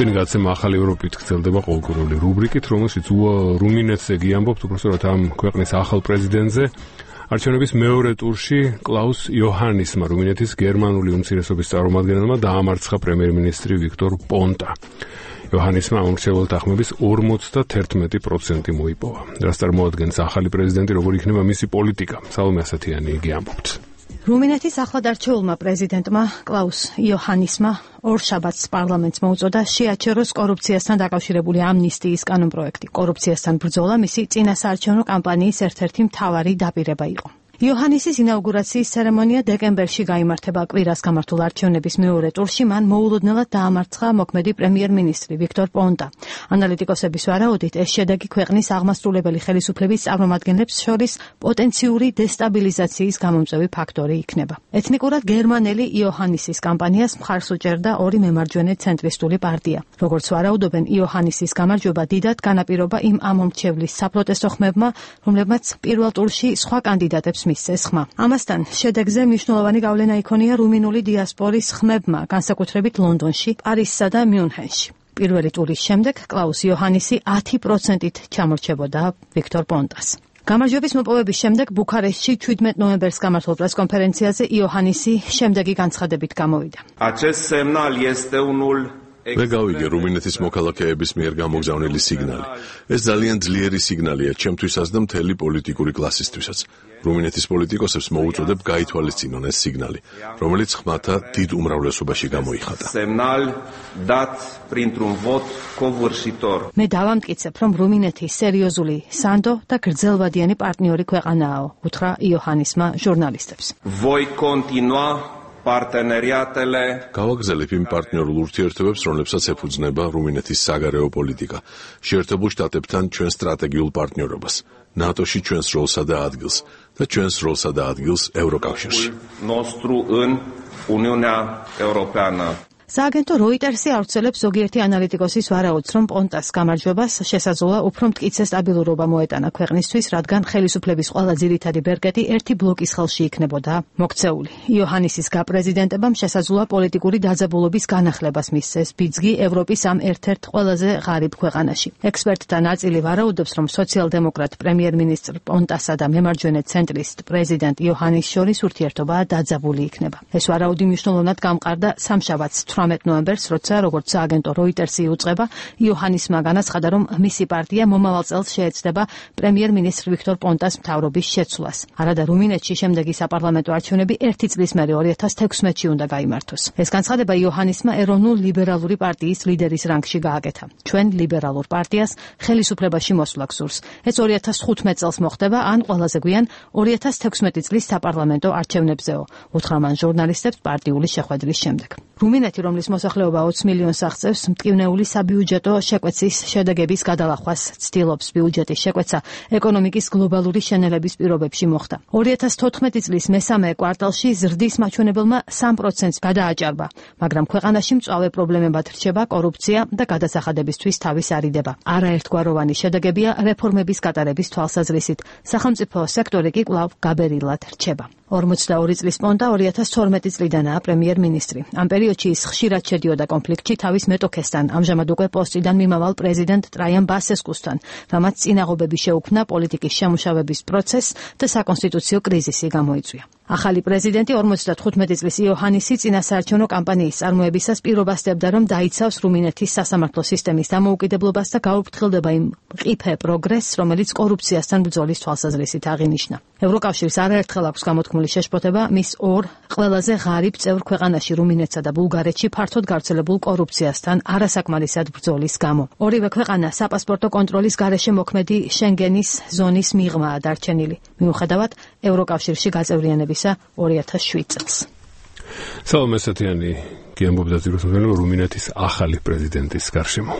Tini gacema ახალი ევროპით გრძელდება ყოველკვირეული რუბრიკით, რომელშიც რუმინეთზე გიამბობთ უბრალოდ ამ ქვეყნის ახალ პრეზიდენტზე. არჩევნების მეორე ტურში კლაუს იოჰანისმა რუმინეთის გერმანული უმცირესობის წარმომადგენელმა დაამარცხა პრემიერ-მინისტრი ვიქტორ პონტა. იოჰანისმა ამორჩეულთა ახმების 51% მოიპოვა. რაც წარმოადგენს ახალი პრეზიდენტი, როგორ იქნება მისი პოლიტიკა. სალომე ასათიანი იგი ამბობთ. რუმინეთის ახლად არჩეულმა პრეზიდენტმა კლაუს იოჰანისმა ორშაბათს პარლამენტს მოუწოდა შეაჩეროს კორუფციასთან დაკავშირებული ამნისტიის კანონპროექტი. კორუფციასთან ბრძოლა მისი წინასაარჩევნო კამპანიის ერთ-ერთი მთავარი დაპირება იყო. იოჰანისის ინაუგურაციის ცერემონია დეკემბერში გაიმართება. კვირას გამართულ არჩევნების მეორე ტურში მან მოულოდნელად დაამარცხა მოქმედი პრემიერ-მინისტრი ვიქტორ პონტა. ანალიტიკოსების ვარაუდით, ეს შედეგი ქვეყნის აღმასრულებელი ხელისუფლების წარმომადგენლებს შორის პოტენციური დესტაბილიზაციის გამომწვევი ფაქტორი იქნება. ეთნიკურად გერმანელი იოჰანისის კამპანიას მხარს უჭერდა ორი მემარჯვენე ცენტრისტული პარტია. როგორც ვარაუდობენ, იოჰანისის გამარჯვება დიდად განაპირობა იმ ამომრჩევლის საპროტესტო ხმებმა, რომლებმაც პირველ ტურში სხვა კანდიდატებს მისცეს ხმა. ამასთან შედეგზე მნიშვნელოვანი გავლენა იქონია რუმინული დიასპორის ხმებმა, განსაკუთრებით ლონდონში, პარიზსა და მიუნხენში. პირველი ტურის შემდეგ კლაუს იოჰანისი 10%-ით ჩამორჩებოდა ვიქტორ პონტას. გამარჯვების მოპოვების შემდეგ ბუქარესტში 17 ნოემბერს გამართულ პრესკონფერენციაზე იოჰანისი შემდეგი განცხადებით გამოვიდა. მე გავიგე რუმინეთის მოქალაქეების მიერ გამოგზავნილი სიგნალი. ეს ძალიან ძლიერი სიგნალია ჩემთვისაც და მთელი პოლიტიკური კლასისთვისაც. რუმინეთის პოლიტიკოსებს მოუწოდებ გაითვალისწინონ ეს სიგნალი, რომელიც ხმათა დიდ უმრავლესობაში გამოიხატა. მე დავამტკიცებ, რომ რუმინეთი სერიოზული, სანდო და გრძელვადიანი პარტნიორი ქვეყანაა, უთხრა იოჰანისმა ჟურნალისტებს. გავაგზავნებ იმ პარტნიორულ ურთიერთობებს, რომლებსაც ეფუძნება რუმინეთის საგარეო პოლიტიკა, შეერთებულ შტატებთან ჩვენ სტრატეგიულ პარტნიორობას, ნატოში ჩვენს როლსა და ადგილს და ჩვენს როლსა და ადგილს ევროკავშირში. სააგენტო როიტერსი ავრცელებს ზოგიერთი ანალიტიკოსის ვარაუდს, რომ პონტას გამარჯვებას შესაძლოა უფრო მტკიცე სტაბილურობა მოეტანა ქვეყნისთვის, რადგან ხელისუფლების ყველა ძირითადი ბერკეტი ერთი ბლოკის ხელში იქნებოდა მოქცეული. იოჰანისის გაპრეზიდენტებამ შესაძლოა პოლიტიკური დაძაბულობის განახლებას მისცეს ბიძგი ევროპის ამ ერთ-ერთ ყველაზე ღარიბ ქვეყანაში. ექსპერტთა ნაწილი ვარაუდობს, რომ სოციალ-დემოკრატ პრემიერ-მინისტრ პონტასა და მემარჯვენე ცენტრისტ პრეზიდენტ იოჰანის შორის ურთიერთობა დაძაბული იქნება. ეს ვარაუდი მნიშვნელოვნად გამყარდა სამშაბათს 18 ნოემბერს, როცა როგორც სააგენტო როიტერსი უწყება, იოჰანისმა განაცხადა, რომ მისი პარტია მომავალ წელს შეეცდება პრემიერ-მინისტრ ვიქტორ პონტას მთავრობის შეცვლას. არადა რუმინეთში შემდეგი საპარლამენტო არჩევნები 1 წლის მერე 2016-ში უნდა გაიმართოს. ეს განცხადება იოჰანისმა ეროვნულ ლიბერალური პარტიის ლიდერის რანგში გააკეთა. ჩვენ ლიბერალურ პარტიას ხელისუფლებაში მოსვლა გსურს. ეს 2015 წელს მოხდება, ან ყველაზე გვიან 2016 წლის საპარლამენტო არჩევნებზეო, უთხრა მან ჟურნალისტებს პარტიული შეხვედრის შემდეგ. რუმინეთი, რომლის მოსახლეობა 20 მილიონს აღწევს, მტკივნეული საბიუჯეტო შეკვეცის შედეგების გადალახვას ცდილობს. ბიუჯეტის შეკვეცა ეკონომიკის გლობალური შენელების პირობებში მოხდა. 2014 წლის მესამე კვარტალში ზრდის მაჩვენებელმა 3%-ს გადააჭარბა, მაგრამ ქვეყანაში მწვავე პრობლემებად რჩება კორუფცია და გადასახადებისთვის თავის არიდება. არაერთგვაროვანი შედეგებია რეფორმების გატარების თვალსაზრისით. სახელმწიფო სექტორი კი კვლავ გაბერილად რჩება. 42 წლის პონტა 2012 წლიდანაა პრემიერ-მინისტრი. ამ პერიოდში ის ხშირად შედიოდა კონფლიქტში თავის მეტოქესთან, ამჟამად უკვე პოსტიდან მიმავალ პრეზიდენტ ტრაიან ბასესკუსთან, რამაც წინაღობები შეუქმნა პოლიტიკის შემუშავების პროცესს და საკონსტიტუციო კრიზისი გამოიწვია. ახალი პრეზიდენტი 55 წლის იოჰანისი წინასაარჩევნო კამპანიის წარმოებისას პირობასდებდა, რომ დაიცავს რუმინეთის სასამართლო სისტემის დამოუკიდებლობას და გაუფრთხილდება იმ მყიფე პროგრესს, რომელიც კორუფციასთან ბრძოლის თვალსაზრისით აღინიშნა. ევროკავშირს არაერთხელ აქვს გამოთქმული შეშფოთება მის ორ ყველაზე ღარიბ წევრ ქვეყანაში რუმინეთსა და ბულგარეთში ფართოდ გავრცელებულ კორუფციასთან არასაკმარისად ბრძოლის გამო. ორივე ქვეყანა საპასპორტო კონტროლის გარეშე მოქმედი შენგენის ზონის მიღმაა დარჩენილი, მიუხედავად ევროკავშირში გაწევრიანებისა 2007 წელს. სალომე ასათიანი გიამბობდა რუმინეთის ახალი პრეზიდენტის გარშემო.